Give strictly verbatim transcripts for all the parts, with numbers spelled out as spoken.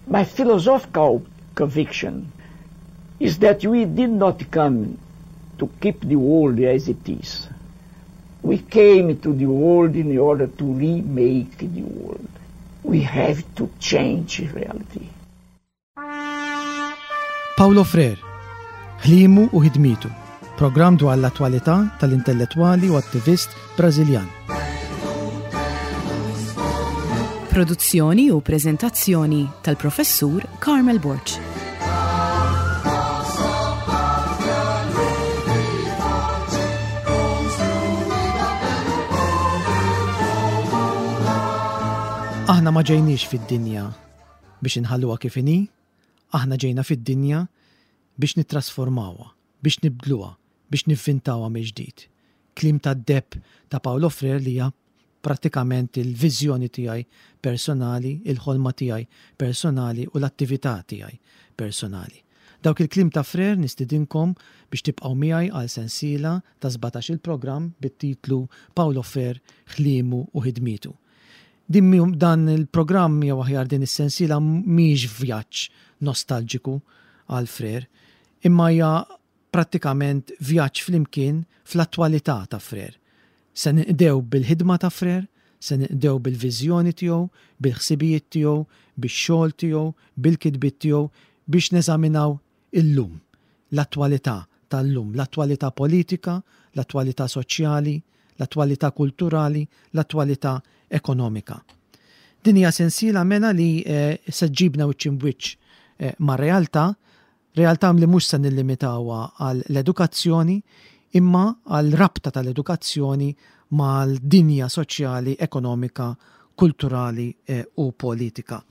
My philosophical conviction is that we did not come to keep the world as it is. We came to the world in order to remake the world. We have to change reality. Paulo Freire, ħlimu u ħidmitu, programm dwar l-attwalità tal-intellettwali u attivist Brażiljan. Produzzjoni u preżentazzjoni tal-Professur Carmel Borg. Aħna ma ġejniex fid-dinja biex inħalluha kif inhi, aħna ġejna fid-dinja biex nittrasformawha, biex nibdluha, biex nivvintawha mill-ġdid. Kliem tad-deheb ta' Paulo Freire li hija prattikament il-viżjoni tiegħi personali, il-ħolma tiegħi personali u l-attività tiegħi personali. Dawk il-kliem ta' Freire nistidinkom biex tibqgħu miegħi għal sensiela ta' sbatax il-programm bit-titlu Paulo Freire, ħliemu u ħidmietu. Din mi-, dan il-programm jew aħjar din is-sensiela mhijiex vjaġġ nostalġiku għal Freire, imma hija prattikament vjaġġ flimkien fl-attwalità ta' Freire. Se ninqdew bil-ħidma ta' Freire, se ninqdew bil-viżjoni tiegħu, bil-ħsibijiet tiegħu, bix-xogħol tiegħu, bil-kitbiet tiegħu biex neżaminaw illum, l-attwalità tal-lum, l-attwalità politika, l-attwalità soċjali, l-attwalità kulturali, l-attwalità ekonomika. Din hija sensiela mela li, eh, se ġibna wiċċ imbwiċċ, eh, ma' realtà, realtà li mhux se nillimitawha għal l-edukazzjoni, imma għal rabta tal-edukazzjoni mal-dinja soċjali, ekonomika, kulturali, eh, u politika.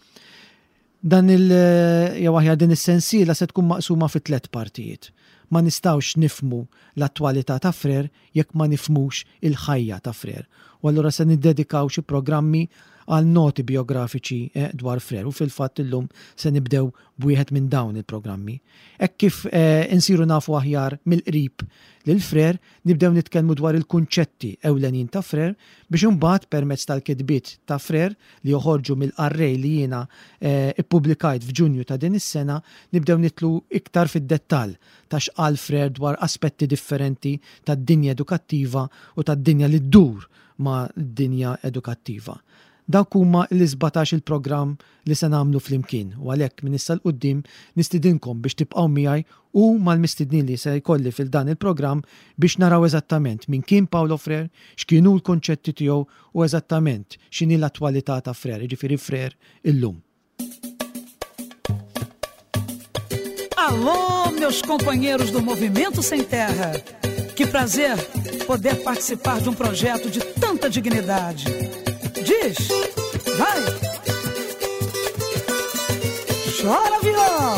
Dan il, eh, jew aħjar din is-sensiela se tkun maqsuma fi tliet partijiet. Ma nistgħux nifmu l-attwalità ta' Freire jekk ma nifmux il-ħajja ta' Freire. U allura se niddedikaw xi programmi għal noti biografiċi, eh, dwar Freire u fil-fatt illum se nibdew b'wieħed minn dawn il-programmi. Hekk kif, eh, insiru nafu aħjar mill-qrib lil Freire, nibdew nitkellmu dwar il-kunċetti ewlenin ta' Freire biex imbagħad permezz tal-kitbiet ta' Freire li joħorġu mill-qarrej li jiena, eh, ippubblikajt f'Ġunju ta' din is-sena, nibdew nitlu iktar fid-dettall ta' x'qal Freire dwar aspetti differenti tad-dinja edukattiva u tad-dinja li ddur ma' d-dinja edukattiva. Dawk huma l-isbatax il-programm li se nagħmlu flimkien u għalhekk minn issa 'l quddiem nistidinkom biex tibqgħu miegħi u mal-mistednin li se jkolli fil dan il-programm biex naraw eżattament min kien Paulo Freire, x'kienu l-konċetti tiegħu u eżattament x'inhi l-attwalità ta' Freire, jiġifieri Freire illum. Alô, meus companheiros do Movimento Sem Terra. Que prazer poder participar de um projeto de tanta dignidade. Diz, vai! Chora, viola!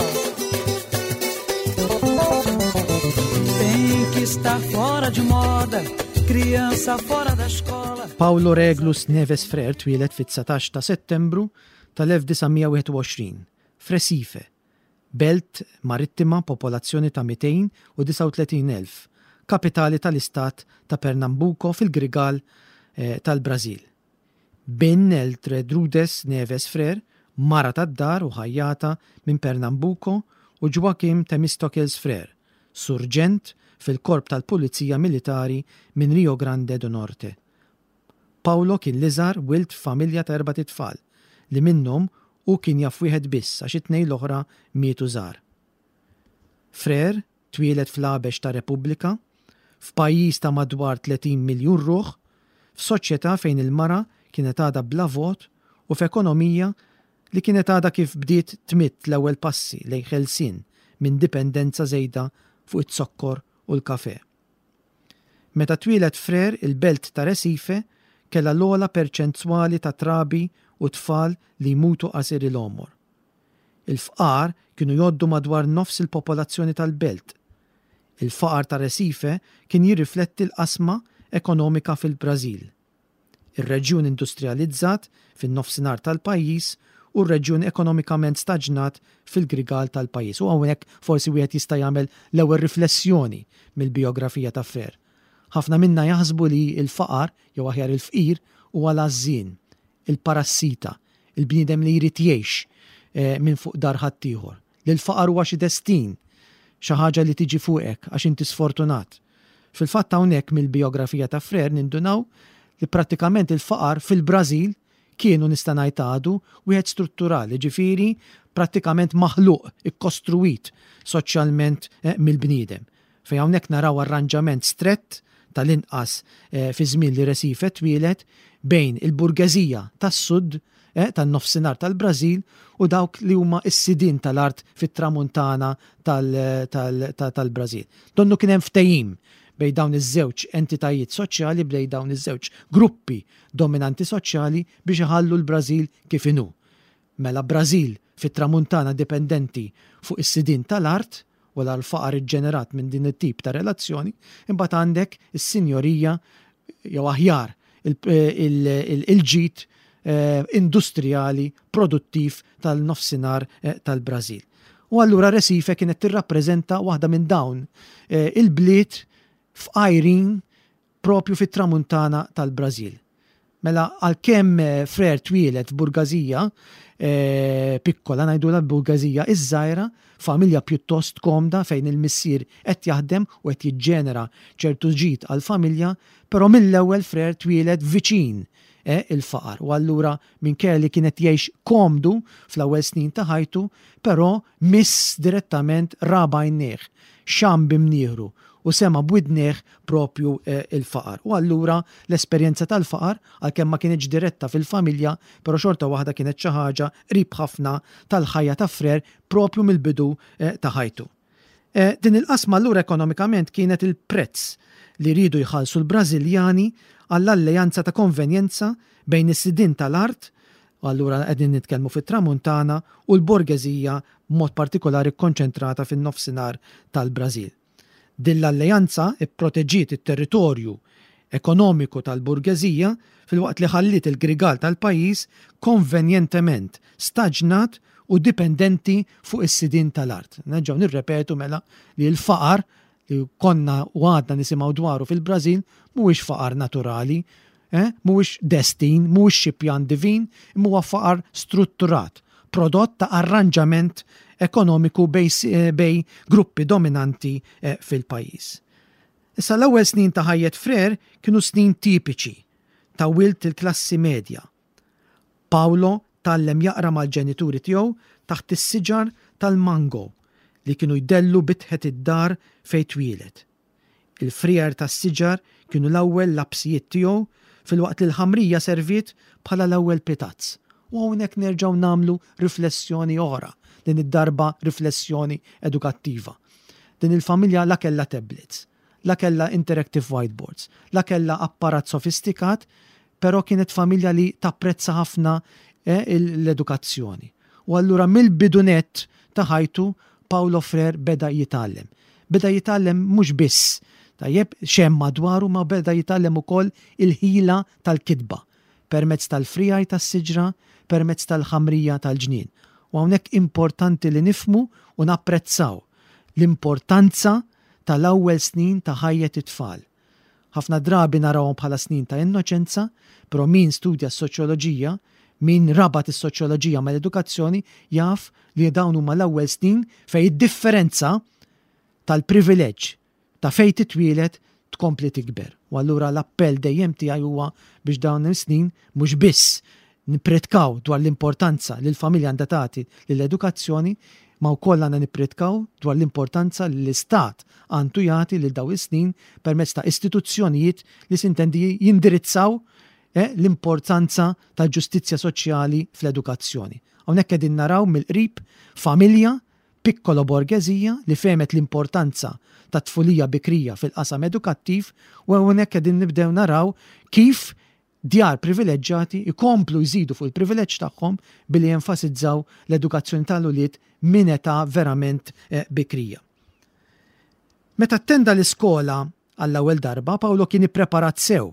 Tem que estar fora de moda, criança fora da escola. Paulo Reglus Neves Freire twieled fit-dsatax ta' Settembru tal-elf disa' mija wieħed u għoxrin, f'Recife, belt marittima popolazzjoni ta' mitejn u disa' u tletin elf, kapitali tal-istat ta' Pernambuco fil-Grigal, eh, tal-Brażil. Bin Eltredrudes Neves Freire, mara tad-dar u ħajjata minn Pernambuco, u Joaquim Temistocles Freire, surġent fil-korp tal-Pulizija Militari minn Rio Grande do Norte. Paulo kien l-iżgħar wild f'familja ta' erbat itfal li minnhom u kien jaf wieħed biss għax it-tnejn l-oħra mietu żgħar. Freire twieled fl-Għabex ta' Repubblika, f'pajjiż ta' madwar tletin miljun ruħ, f'soċjetà fejn il-mara kienet għadha bla vot u f'ekonomija li kienet għadha kif bdiet tmitt l-ewwel passi lejn ħelsien minn dipendenza żejda fuq iz-zokkor u l-kafe. Meta twieled Freire, il-belt ta' Recife kellha l-ogħla perċentwali ta' trabi u tfal li jmutu qasir il-għomor. Il-fqar kienu jgħoddu madwar nofs il-popolazzjoni tal-belt. Il-faqar ta' Recife kien jirrifletti l-qasma ekonomika fil-Brażil. Ir-reġjun industrializzat fin-nofsinhar tal-pajjiż u r-reġjun ekonomikament staġnat fil-grigal tal-pajjiż. U hawnhekk forsi wieħed jista' jagħmel l-ewwel riflessjoni mill-biografija ta' Freire. Ħafna minna jaħsbu li l-faqar jew aħjar il-fqir huwa l-għażżien, il-parassita, il-bniedem li jrid jgħix, minn fuq dar ħaddieħor, li l-faqar huwa xi destin, xi ħaġa li tiġi fuqek għax inti sfortunat. Fil-fatt hawnhekk mill-bijografija ta' Freire nindunaw li prattikament il-faqar fil-Brażil kienu nista' ngħid għadu wieħed strutturali, ġifieri prattikament maħluq, ikkostruwit soċjalment mill-bniedem. Fejn hawnhekk naraw arranġament strett tal-inqas fi żmien li Recife twieled bejn il-burgeżija tas-sud tan-nofsinhar tal-Brażil u dawk li huma s-sidien tal-art fit-tramuntana tal-Brażil. Donnu kien hemm ftehim bejn dawn iż-żewġ entitajiet soċjali, bejn dawn iż-żewġ gruppi dominanti soċjali biex iħallu l-Brażil kif inhu. Mela Brażil fit-tramuntana dipendenti fuq is-sidien tal-art u l-faqar iġġenerat minn din it-tip ta' relazzjoni, imbagħad għandek is-sinjorija jew aħjar il-ġid industrijali produttiv tal-nofsinhar tal-Brażil. U allura Recife kienet tirrappreżenta waħda minn dawn il-bliet f'qajrin propju fit-tramuntana tal-Brażil. Mela għalkemm Freire twieled f'burgazija piccola, ngħidulha burgazija iż-żgħira, familja pjuttost komda fejn il-missier qed jaħdem u qed jiġġenera ċertu ġid għall-familja, però mill-ewwel Freire twieled viċin il-faqar. U allura minkejja li kienet jgħix komdu fl-ewwel snin ta' ħajtu, però miss direttament ra b'għajnejh, xam b'imnieħru u sema b'widnejh propju il-faqar. U allura l-esperjenza tal-faqar, għalkemm ma kienx diretta fil-familja, però xorta waħda kienet xi ħaġa qrib ħafna tal-ħajja ta' Freire propju mill-bidu ta' ħajtu. Din il-qasma allura ekonomikament kienet il-prezz li rridu jħallsu l-Brażiljani għall-alleanza ta' konvenjenza bejn is-sidien tal-art, u allura qegħdin nitkellmu fit-tramuntana, u l-borgeżija b'mod partikolari kkonċentrata fin-nofsinhar tal-Brażil. Din l-alleanza ipproteġiet it-territorju ekonomiku tal-burgeżija filwaqt li ħalliet il-grigal tal-pajjiż konvenjentement staġnat u dipendenti fuq is-sidien tal-art. Nerġgħu nirrepetu mela li l-faqar li konna u għadna nisimgħu dwaru fil-Brażil mhuwiex faqar naturali, eh? mhuwiex destin, mhuwiex xi pjan divin, imma huwa faqar strutturat, prodott ta' arranġament ekonomiku bej, bej gruppi dominanti fil-pajjiż. Issa l-ewwel snin ta' ħajjet Freire kienu snin tipiċi ta' wild il-klassi medja. Paolo tgħallem jaqra mal-ġenituri tiegħu taħt is-siġar tal-mango li kienu jdellu bitħet id-dar fejn twieled. Il-frijer tas-siġar kienu l-ewwel lapsijiet tiegħu filwaqt li l-ħamrija serviet bħala l-ewwel pitazz. U hawnhekk nerġgħu nagħmlu riflessjoni oħra, din id-darba riflessjoni edukattiva. Din il-familja la kellha tablets, la kellha interactive whiteboards, la kellha apparat sofistikat, però kienet familja li tapprezza ħafna l-edukazzjoni. U allura mill-bidu nett ta' ħajtu Paolo Freire beda jitgħallem. Beda jitgħallem mhux biss tajjeb x'hemm madwaru, ma beda jitgħallem ukoll il-ħila tal-kitba permezz tal-frijaj tas-siġra, permezz tal-ħamrija tal-ġnien. U hawnhekk importanti li nifhmu u napprezzaw l-importanza tal-ewwel snin ta' ħajjet it-tfal. Ħafna drabi narawhom bħala snin ta' innoċenza, però min studja s-soċjoloġija, min rabat is-soċjoloġija mal-edukazzjoni, jaf li dawn huma l-ewwel snin fejn id-differenza tal-privileġġ ta' fejn titwieled tkompli tikber. U allura l-appell dejjem tiegħi huwa biex dawn is-snin mhux biss nippritkaw dwar l-importanza li l-familja għandha tagħti lill-edukazzjoni, ma wkoll għandna nippritkaw dwar l-importanza li l-istat għandu jagħti lil dawn is-snin permezz ta' istituzzjonijiet li sintendi jindirizzaw eh, l-importanza tal-ġustizzja soċjali fl-edukazzjoni. Hawnhekk qegħdin naraw mill-qrib familja piccolo borgeżija li fehmet l-importanza ta' tfulija bikrija fil-qasam edukattiv, u hawnhekk qegħdin nibdew naraw kif djar privileġġjati jkomplu jżidu fuq il-privileġġ tagħhom billi jenfasizzaw l-edukazzjoni tal-ulied minn età verament bikrija. Meta attenda l-iskola għall-ewwel darba, Paolo kien ippreparat sew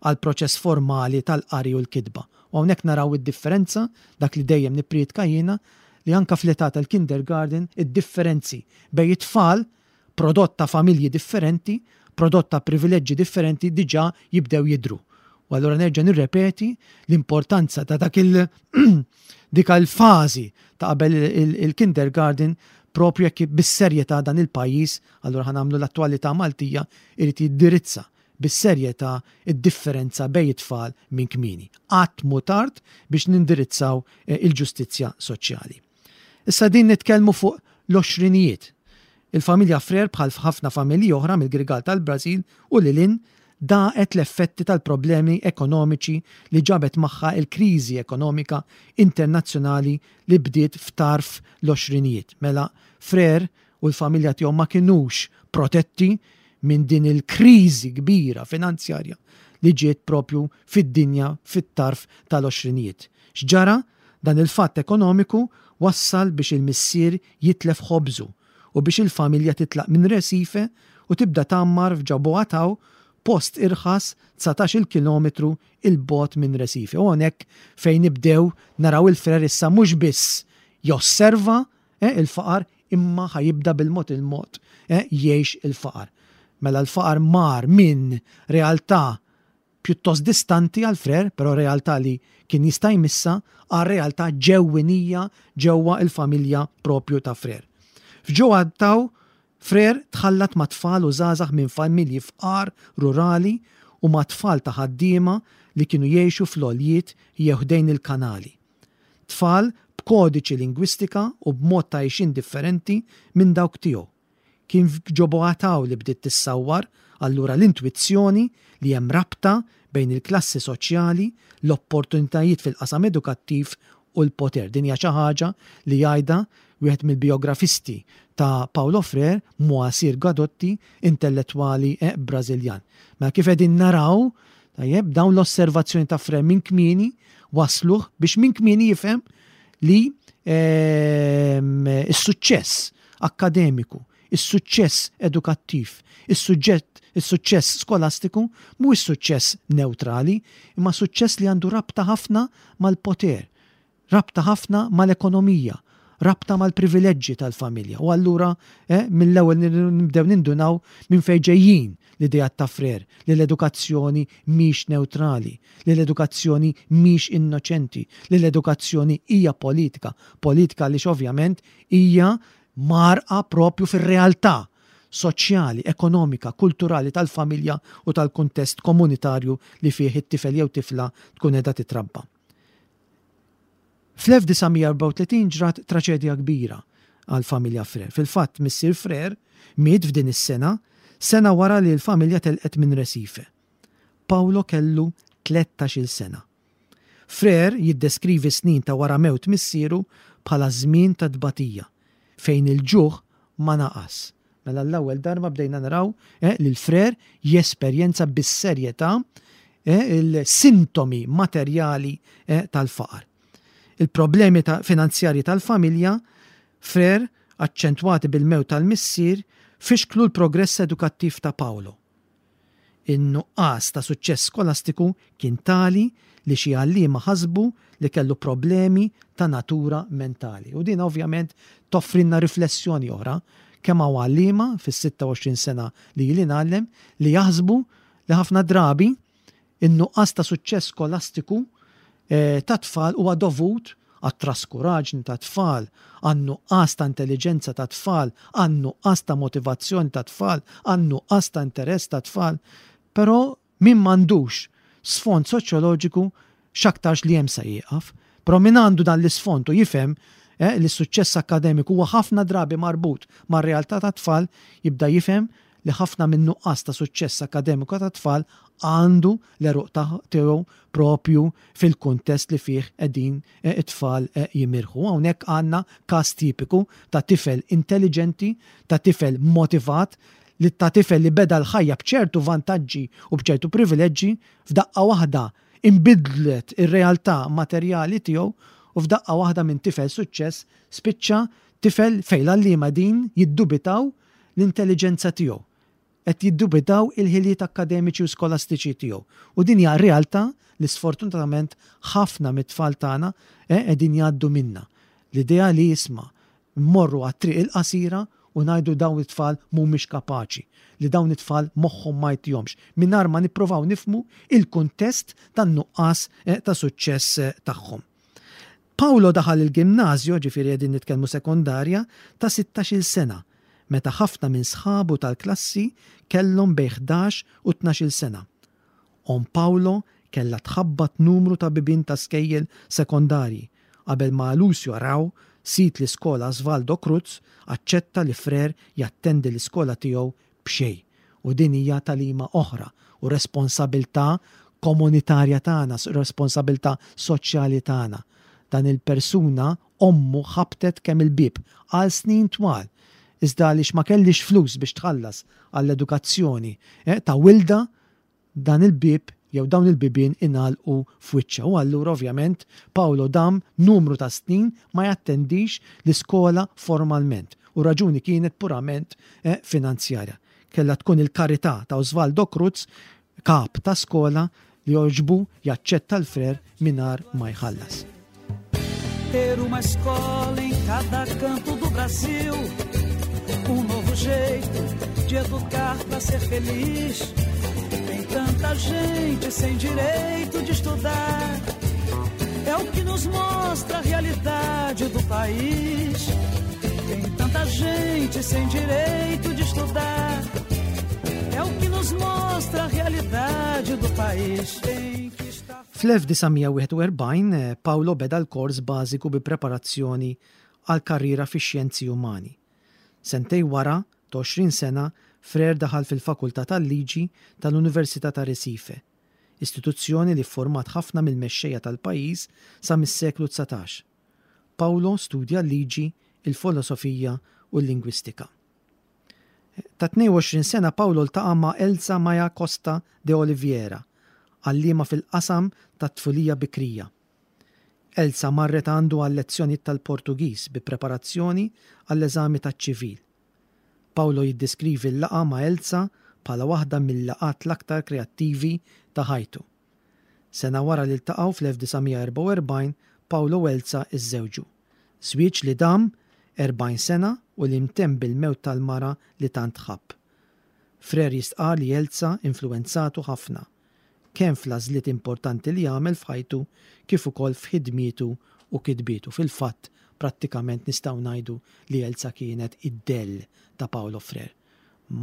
għal proċess formali tal-qari u l-kitba. U hawnhekk naraw id-differenza, dak li dejjem nipprietka jiena, li anka fl-età tal-kindergarten id-differenzi bejn it-tfal prodott ta' familji differenti, prodott ta' privileġġi differenti diġà jibdew jidhru. U allura nerġa' nirrepeti l-importanza ta' dak il dik il-fażi ta' qabel il-kindergarten propju jekk bis-serjetà dan il-pajjiż, allura ħa nagħmlu l-attwalità Maltija, irid jiddirizza bis-serjetà id-differenza bejn it-tfal minn kmieni. Qatt mhu tard biex nindirizzaw il-ġustizzja soċjali. Issa din nitkellmu fuq l-għoxrinijiet. Il-familja Freire, bħal ħafna familji oħra mill-Grigal tal-Brażil u lil hinn, daqet l-effetti tal-problemi ekonomiċi li ġabet magħha il-kriżi ekonomika internazzjonali li bdiet f'tarf l-għoxrinijiet. Mela Freire u l-familja tiegħu ma kinux protetti minn din il-kriżi kbira finanzjarja li ġiet propju fid-dinja fit-tarf tal-għoxrinijiet. X'ġara? Dan il-fatt ekonomiku wassal biex il-missier jitlef ħobżu u biex il-familja titlaq minn Recife u tibda tgħammar f'Jaboatão, post irħas dsatax-il kilometru il-bogħod minn Recife. U hawnhekk fejn nibdew naraw il-Freire issa mhux biss josserva, eh, il-faqar, imma ħajibda bil-mod il-mod, eh, jgħix il-faqar. Mela l-faqar mar minn realtà pjuttost distanti għal Freire, però realtà li kien jista' jmissa, għal realtà ġewwinija ġewwa il-familja propju ta' Freire. F'Jaboatão, Freire tħallat ma' tfal u żgħażagħ minn familji fqar rurali u ma' tfal ta' ħaddiema li kienu jgħixu fl-għoljiet jew ħdejn il-kanali. Tfal b'kodiċi lingwistika u b'mod ta' għixien differenti minn dawk tiegħu. Kien f'Jaboatão li bdiet tissawwar allura l-intwizzjoni li hemm rabta bejn il-klassi soċjali, l-opportunitajiet fil-qasam edukattiv u l-poter. Din hija xi ħaġa li jgħidha wieħed mill-biografisti ta' Paulo Freire, Moacir Gadotti, intellettwali, eh, Brażiljan. Ma kif qegħdin naraw, tajjeb, dawn l-osservazzjoni ta' Freire minn kmieni wasluh biex minn kmieni jifhem li, ehm, is-suċċess akkademiku, is-suċċess edukattiv, is-suġġett, is-suċċess skolastiku mhuwiex suċċess neutrali, imma suċċess li għandu rabta ħafna mal-poter, rabta ħafna mal-ekonomija, rabta mal-privileġġi tal-familja. U allura, eh, mill-ewwel nibdew nindunaw minn fejn ġejjin l-idea ta' Freire, li l-edukazzjoni mhix neutrali, li l-edukazzjoni mhix innoċenti, li l-edukazzjoni hija politika, politika li ovvjament hija marqa propju fir-realtà soċjali, ekonomika, kulturali tal-familja u tal-kuntest komunitarju li fih it-tifel jew tifla tkun qiegħda titrabba. Fl-elf disa' mija erbgħa u tletin ġrat traċedja kbira għal-familja Freire. Fil-fatt, missier Freire miet f'din is-sena, sena wara li l-familja telqet minn Recife. Paulo kellu tlettax-il sena. Freire jiddeskrivi snin ta' wara mewt missieru bħala żmien ta' tbatija, fejn il-ġuħ ma naqas. Mela l-ewwel darba bdejna naraw, eh, li l-Freire jesperjenza bis-serjetà, eh, il-sintomi materjali, eh, tal-faqar. Il-problemi ta' finanzjarji tal-familja, Freire, aċċentwati bil-mewt tal-missier, fixklu l-progress edukattiv ta' Paulo. In-nuqqas ta' suċċess skolastiku kien tali li xi għalliema ħasbu li kellu problemi ta' natura mentali. U din ovvjament toffrinna riflessjoni oħra kemm hawn għalliema fis-sitta u għoxrin sena li ili ngħallem li jaħsbu li ħafna drabi in-nuqqas ta' suċċess skolastiku, eh, ta' tfal huwa dovut għat-traskuraġni ta' tfal, għan-nuqqas ta' intelligenza ta' tfal, għan-nuqqas ta' motivazzjoni ta' tfal, għan-nuqqas ta' interess ta' tfal. Però min m'għandux sfond soċjoloġiku x'aktarx li hemm sa jieqaf. Però min għandu dan l-isfond u jifhem, eh, li s-suċċess akkademiku huwa ħafna drabi marbut mar-realtà ta' tfal, jibda jifhem li ħafna minn nuqqas ta' suċċess akkademiku ta' tfal għandu l-għeruq ta' tiegħu propju fil-kuntest li fih qegħdin, eh, it-tfal, eh, jimirħu. Hawnhekk għandna każ tipiku ta' tifel intelligenti, ta' tifel motivat, li ta' tifel li beda l-ħajja b'ċertu vantaġġi u b'ċertu privileġġi, f'daqqa waħda imbidlet ir-realtà materjali tiegħu u f'daqqa waħda minn tifel suċċess spiċċa tifel fejn l-għalliema din jiddubitaw l-intelligenza tiegħu, qed jiddubitaw il-ħiliet akkademiċi u skolastiċi tiegħu. U din hija realtà li sfortunatament ħafna mit-tfal tagħna, eh, qegħdin jgħaddu minna. L-idea li jisma' mmorru għat-triq il-qasira u u ngħidu dawn it-tfal mhumiex kapaċi, li dawn it-tfal moħħhom ma jtihomx, mingħajr ma nippruvaw nifhmu il-kuntest tan-nuqqas eh, ta' suċċess eh, tagħhom. Paolo daħal il-gimnasju, ġifieri qegħdin nitkellmu sekondarja, ta' sittax-il sena, meta ħafna minn sħabu tal-klassi kellhom bejn ħdax u tnax-il sena. Omm Paolo kellha tħabbat numru ta' bibien ta' skejjel sekondarji qabel ma Lucio Arau, sid l-iskola Osvaldo Cruz, aċċetta li Frere jattendi l-iskola tiegħu b'xejn. U din hija tagħlima oħra u responsabilità komunitarja tagħna, responsabilità soċjali tagħna. Dan il-persuna ommu ħabtet kemm il-bib għal snin twal, iżda għaliex ma kellix flus biex tħallas għall-edukazzjoni, eh, ta' wilda, dan il-bib jew dawn il-bibien ingħalqu f'wiċċha. U allura ovvjament Paolo dam numru ta' snin ma jattendix l-iskola formalment. U raġuni kienet purament, eh, finanzjarja. Kella tkun il-karità ta' Osvaldo Cruz, kap ta' skola, li joġbu jaċċetta l-Frere mingħajr ma jħallas. Ter uma escola em cada canto do Brasil, um novo jeito de educar pra ser feliz. Tem tanta gente sem direito de estudar, é o que nos mostra a realidade do país. Tem tanta gente sem direito de estudar, é o que nos mostra a realidade do país. Tem que estar Fl-elf disa' mija wieħed u erbgħin, eh, Paolo beda l-kors bażiku bi preparazzjoni għal karriera fix-xjenzi umani. Sentej wara, ta' għoxrin sena, Frere daħal fil-Fakultà tal-Liġi tal-Università ta' Recife, istituzzjoni li format ħafna mill-mexxejja tal-pajjiż sa mis-seklu dsatax. Paolo studja l-liġi, il-filosofija u l-lingwistika. Ta' tnejn u għoxrin sena Paolo ltaqa' ma' Elza Maia Costa de Oliveira, għalliema fil-qasam tat-tfulija bikrija. Elza marret għandu għal lezzjonijiet tal-Portugiż bi preparazzjoni għall-eżami taċ-ċivil. Paolo jiddeskrivi l-laqgħa ma' Elza bħala waħda mill-laqgħat l-aktar kreattivi ta' ħajtu. Sena wara li ltaqgħu fl-elf disa' mija erbgħa u erbgħin, Paolo u Elza iżżewġu. Żwieġ li dam erbgħin sena u li mtemm bil-mewt tal-mara li tant ħabb. Frere jistqar li Elza influenzatu ħafna, kemm fl-għażliet importanti li għamel f'ħajtu kif ukoll f'ħidmietu u kitbietu. Fil-fatt, prattikament nistgħu ngħidu li Elza kienet id-dell ta' Paolo Frere.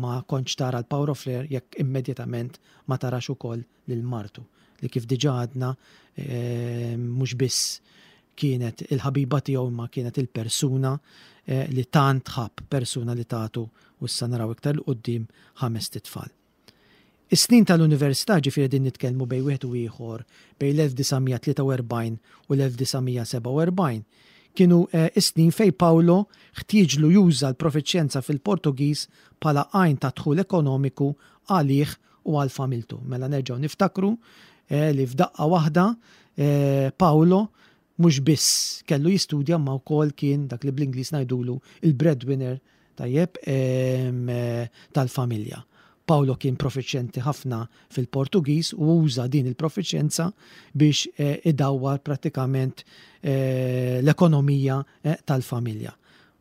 Ma kontx tara l-Paolo Frere jekk immedjatament ma tarax ukoll lil martu, li kif diġà għadna, eh, mhux biss kienet il-ħabiba tiegħu imma kienet il-persuna, eh, li tant ħabb, persuna li tatu u issa naraw iktar 'l quddiem ħames titfal. Is-snin tal-università, ġifieri din nitkellmu bejn wieħed u ieħor bejn l-elf disa' mija tlieta u erbgħin u l-elf disa' mija sebgħa u erbgħin, kienu, eh, is-snin fej Paolo ħtieġlu juża l-profiċjenza fil-Portugiż bħala għajn ta' dħul ekonomiku għalih u għal familtu. Mela nerġgħu niftakru, eh, li f'daqqa waħda, eh, Paolo mhux biss kellu jistudja ma wkoll kien dak li bl-Ingliż ngħidulu il-breadwinner tajjeb, em, eh, tal-familja. Paolo kien profiċjenti ħafna fil-Portugiż u uża din il-profiċjenza biex, eh, idawwar prattikament, eh, l-ekonomija, eh, tal-familja.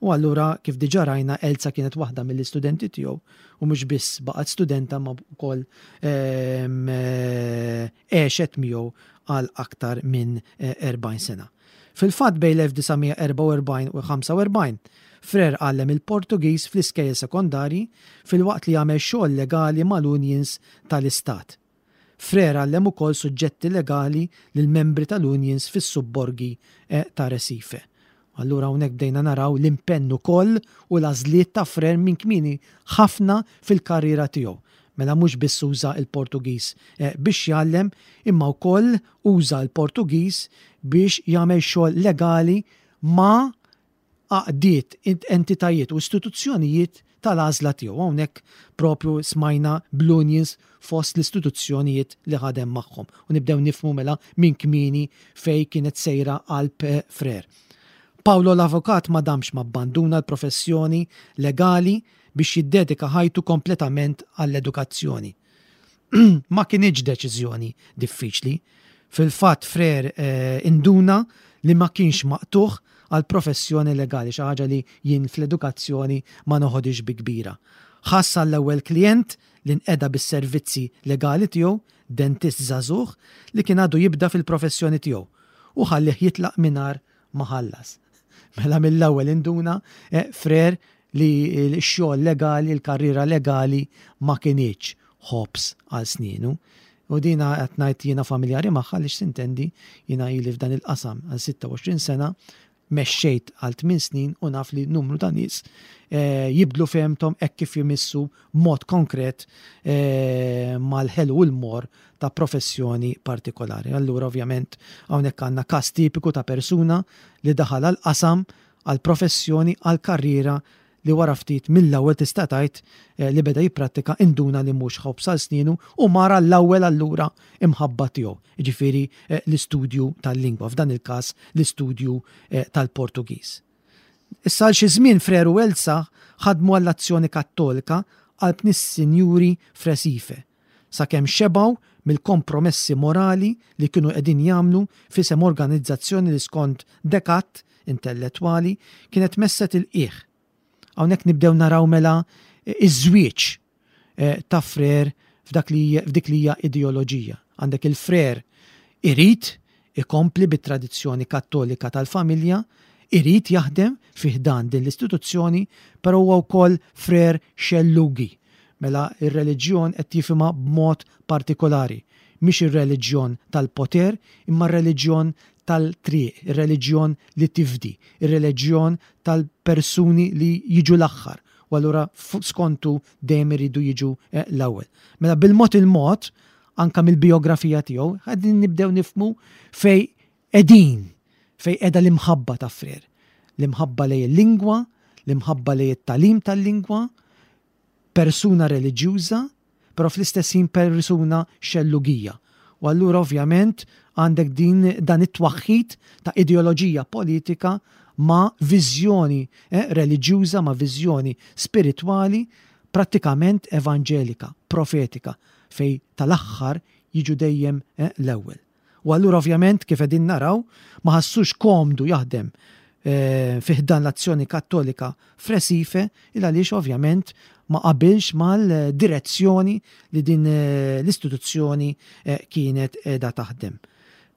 U allura kif diġà rajna Elza kienet waħda mill-istudenti tiegħu u mhux biss baqgħet studenta ma wkoll, ehm, eh, għexet miegħu għal aktar minn, eh, erbgħin sena. Fil-fatt bejn l-elf disa' mija erbgħa u erbgħin u ħamsa u erbgħin, Frere għallem il-Portugiż fl-iskejjel sekondarji filwaqt li għamel xogħol legali mal-unions tal-Istat. Frere għallem ukoll suġġetti legali lil membri tal-unions fis-subborgi, eh, ta' Recife. Allura hawnhekk bdejna naraw l-impenn ukoll u l-għażliet ta' Frere minn kmieni ħafna fil-karriera tiegħu. Mela mhux biss uża l-Portugiż, eh, biex jgħallem, imma wkoll uża l-Portugiż biex jagħmel xogħol legali ma' għaqdiet, entitajiet u istituzzjonijiet tal-għażla tiegħu. Hawnhekk propju smajna bl-unions fost l-istituzzjonijiet li ħadem magħhom. U nibdew nifhmu mela minn kmieni fej kienet sejra qalb Frere. Paolo l-avukat ma damx ma abbanduna l-professjoni legali biex jiddedika ħajtu kompletament għall-edukazzjoni. Ma kienx deċiżjoni diffiċli. Fil-fatt Frere, eh, induna li ma kienx maqtuħ għall-professjoni legali, xi ħaġa li jien fl-edukazzjoni ma noħodix bi kbira. Ħass għall-ewwel klient li nqeda bis-servizzi legali tiegħu, dentist żagħżugħ li kien għadu jibda fil-professjoni tiegħu u ħallih jitlaq mingħajr ma ħallas. Mela mill-ewwel induna eh, Frere li x-xogħol legali, l-karriera legali ma kinitx ħobż għal snienu. U dina qed ngħid jiena familjari magħha li x'sintendi jiena ili f'dan il-qasam għal sitta u għoxrin sena, mexxejt għal tmien snin u naf li numru ta' nies eh, jibdlu fehmthom hekk kif jimissu mod konkret eh, mal-ħelu u l-morr ta' professjoni partikolari. Allura ovvjament hawnhekk għandna każ tipiku ta' persuna li daħal għal qasam, għal professjoni, għal karriera li wara ftit mill-ewwel tista' tgħid eh, li beda jipprattika induna li mhux ħobż għal snienu u mar l-ewwel allura imħabba tiegħu, jiġifieri eh, l-istudju tal-lingwa, f'dan il-każ l-istudju eh, tal-Portugiż. Issa għal xi żmien Frere u Elsa ħadmu għall-Azzjoni Kattolika qalb nis-sinjuri f'Recife, sakemm xebgħu mill-kompromessi morali li kienu qegħdin jagħmlu f'isem organizzazzjoni li skont dekat intellettwali kienet messet il-qiegħ. Hawnhekk nibdew naraw mela iż-żwieġ eh, ta' Frere f'dak li f'dik li hija ideoloġija. Għandek il-Frere irid ikompli bit-tradizzjoni Kattolika tal-familja, irid jaħdem fi ħdan din l-istituzzjoni, però huwa wkoll Frere xellugi. Mela ir-reliġjon qed jifhimha b'mod partikolari. Mhix ir-reliġjon tal-poter, imma r-reliġjon tal-triq, ir-reliġjon li tifdi, ir-reliġjon tal-persuni li jiġu l-aħħar. U allura skontu dejjem iridu jiġu eh, l-ewwel. Mela bil-mod il-mod, anka mill-biografija tiegħu, qegħdin nibdew nifhmu fej qegħdin, fej qiegħda l-imħabba ta' Frere. L-imħabba lejn il-lingwa, l-imħabba lejn it-tagħlim tal-lingwa, persuna reliġjuża, però fl-istess ħin persuna xellugija. U allura ovvjament għandek din dan it-twaħħid ta' ideoloġija politika ma' viżjoni eh, reliġjuża, ma' viżjoni spiritwali, prattikament evanġelika, profetika, fej tal-aħħar jiġu dejjem eh, l-ewwel. U allura ovvjament kif qegħdin naraw ma ħassux komdu jaħdem eh, fi ħdan l-Azzjoni Kattolika f'Recife il għaliex ovvjament ma qabilx mal-direzzjoni li din eh, l-istituzzjoni eh, kienet qiegħda taħdem.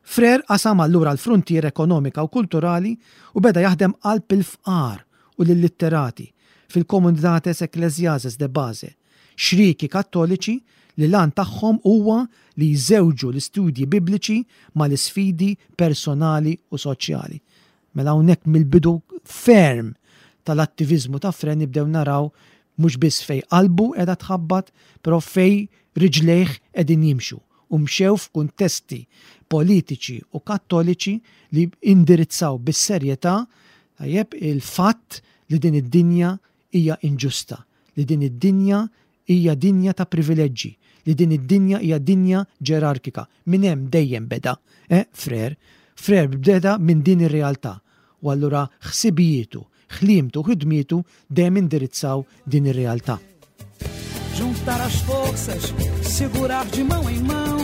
Frere qasam allura l-frontier ekonomika u kulturali u beda jaħdem qalb il-fqar u l-litterati fil-Comunidades Eclesiales de Base, xriki Kattoliċi li l-għan tagħhom huwa li jżewġu l-istudji bibliċi mal-isfidi personali u soċjali. Mela hawnhekk mill-bidu ferm tal-attivizmu ta' Frere nibdew naraw mhux biss fej qalbu qiegħda tħabbat, però fej riġlejh qegħdin jimxu u mxew f'kuntesti politiċi u Kattoliċi li indirizzaw bis-serjetà tajjeb il-fatt li din id-dinja hija inġusta, li din id-dinja hija dinja ta' privileġġi, li din id-dinja hija dinja ġerarkika. Min hemm dejjem beda, eh, Frere. Frere beda minn din ir-realtà. U allura ħsibijietu, ħliemtu, ħidmietu dejjem indirizzaw din ir-realtà. Juntar as forças, segurar de mão em mão,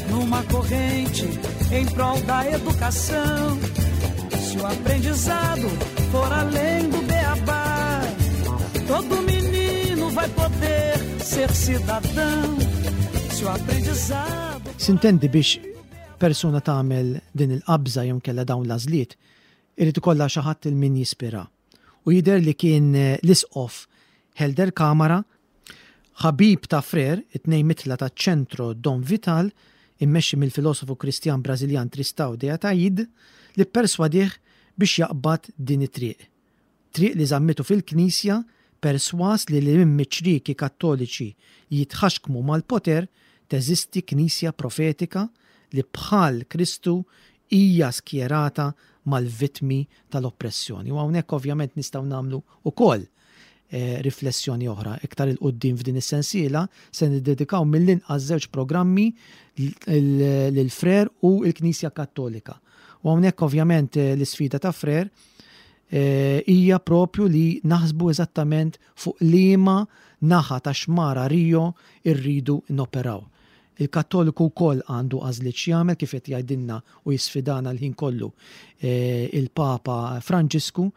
numa corrente em prol da educação. Se o aprendizado for além do beabá, todo menino vai poder ser cidadão. Se o aprendizado Sintendi biex persuna tagħmel din il-qabża jew kella dawn l-għażliet, irid ikollha xi ħadd il min jispira. U jidher li kien eh, l-isqof Helder Kamara, ħabib ta' Frere, it-tnejn mitla ta' Ċentro Dom Vital, immexxi mill-filosofu Kristjan Brażiljan Tristão de Ataíde, li perswadih biex jaqbad din it-triq. Triq li żammitu fil-Knisja, perswas li li minn ċrieki Kattoliċi jitħaxkmu mal-poter teżisti Knisja profetika li bħal Kristu hija skjerata mal-vittmi tal-oppressjoni. U hawnhekk ovvjament nistgħu nagħmlu ukoll eh, riflessjoni oħra. Iktar 'il quddiem f'din is-sensiela se niddedikaw mill-inqas żewġ programmi lil Frere u l-Knisja Kattolika. U hawnhekk ovvjament eh, l-isfida ta' Frere eh, hija propju li naħsbu eżattament fuq liema naħa ta' xmara Rio irridu noperaw. Il-Kattoliku wkoll għandu għażliet x'jagħmel, kif qed jgħidilna u jisfidana l-ħin kollu eh, il-Papa Franġisku.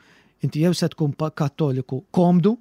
Inti jew se tkun Kattoliku komdu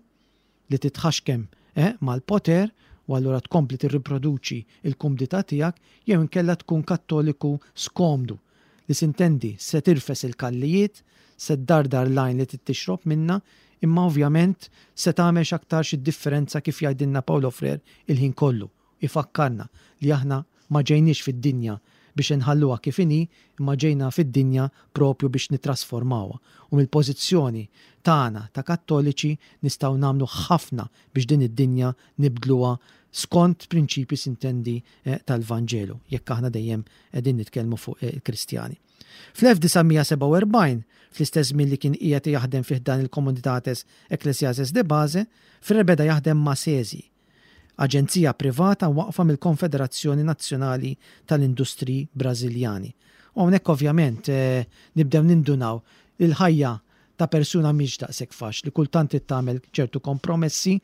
li titħaxkem eh, mal-poter u allura tkompli tirriproduċi il-kumdità tiegħek, jew inkella tkun Kattoliku skomdu li, sintendi, se tirfes il-kallijiet, se ddardar l-għajn li tixrob minna, imma ovvjament se tagħmel x'aktar xi differenza, kif jgħidilna Paulo Freire il-ħin kollu. Ifakkarna li aħna ma ġejniex fid-dinja biex nħalluha kif inhi, imma ġejna fid-dinja propju biex nitrasformawha. U mill-pożizzjoni tagħna ta' Kattoliċi nistgħu nagħmlu ħafna biex din id-dinja nibdluha skont prinċipi, sintendi, eh, tal-Vanġelu, jekk aħna dejjem qegħdin nitkellmu fuq eh, il-Kristjani. Fl-elf disa' mija sebgħa u erbgħin, fl-istess żmien li kien qiegħed jaħdem fih dan il-Comunidades Eclesiales de Base, Freire beda jaħdem ma' SESI, aġenzija privata waqfa mill-Konfederazzjoni Nazzjonali tal-Industri Brażiljani. U hawnhekk ovvjament eh, nibdew nindunaw il-ħajja ta' persuna mhix daqshekk faċli, kultant tagħmel ċertu kompromessi,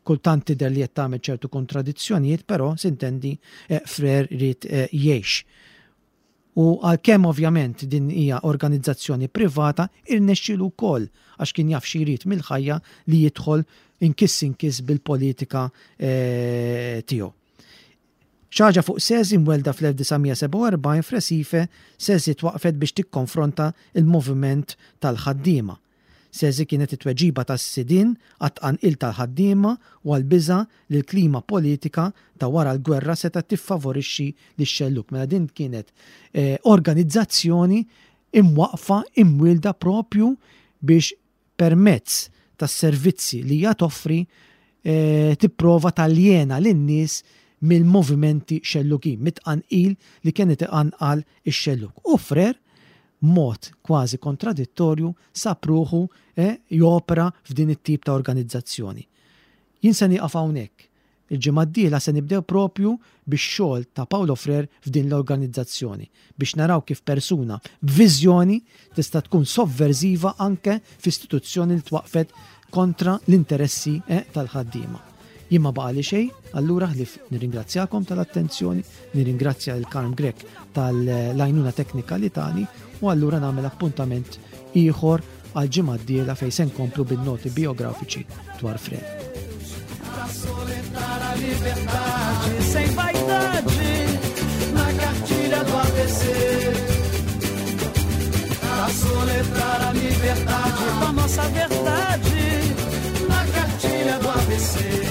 kultant tidher li qed tagħmel ċertu kontradizzjonijiet, però, sintendi, eh, Freire ried eh, jgħix. U għalkemm ovvjament din hija organizzazzjoni privata, irnexxielu wkoll, għax kien jaf xi jrid mill-ħajja, li jidħol inkiss inkiss bil-politika eh, tiegħu. Xi ħaġa fuq SESI: mwelda fl-elf disa' mija sebgħa u erbgħin f'Recife, SESI twaqfet biex tikkonfronta il-moviment tal-ħaddiema. SESI kienet it-tweġiba tas-sidin għat-tqanqil tal-ħaddiema u għal-biża li l-klima politika ta' wara l-gwerra seta' tiffavorixxi lix-xelluk. Mela din kienet eh, organizzazzjoni imwaqfa, imwilda propju biex permezz tas-servizzi li hija toffri eh, tipprova taljena lin-nies mill-movimenti xellukin, mit-tqanqil li kienet iqanqal ix-xelluk. U Freire, mod kważi kontradittorju, sab ruħu eh, jopera f'din it-tip ta' organizzazzjoni. Jien se nieqaf hawnhekk. Il-ġimgħa d-dieħla se nibdew propju bix-xogħol ta' Paulo Freire f'din l-organizzazzjoni biex naraw kif persuna b'viżjoni tista' tkun sovverziva anke f'istituzzjoni li twaqfet kontra l-interessi eh, tal-ħaddiema. Jien ma baqali xejn, allura ħlif nirringrazzjakom tal-attenzjoni, nirringrazzja il-Karm Grech tal-għajnuna teknika li tani u allura nagħmel appuntament ieħor għal ġimgħa d-dieħla fejn se nkomplu bin-noti biografiċi dwar Freire. Pra soletrar a liberdade sem vaidade na cartilha do A B C. Pra soletrar a liberdade com a nossa verdade na cartilha do A B C.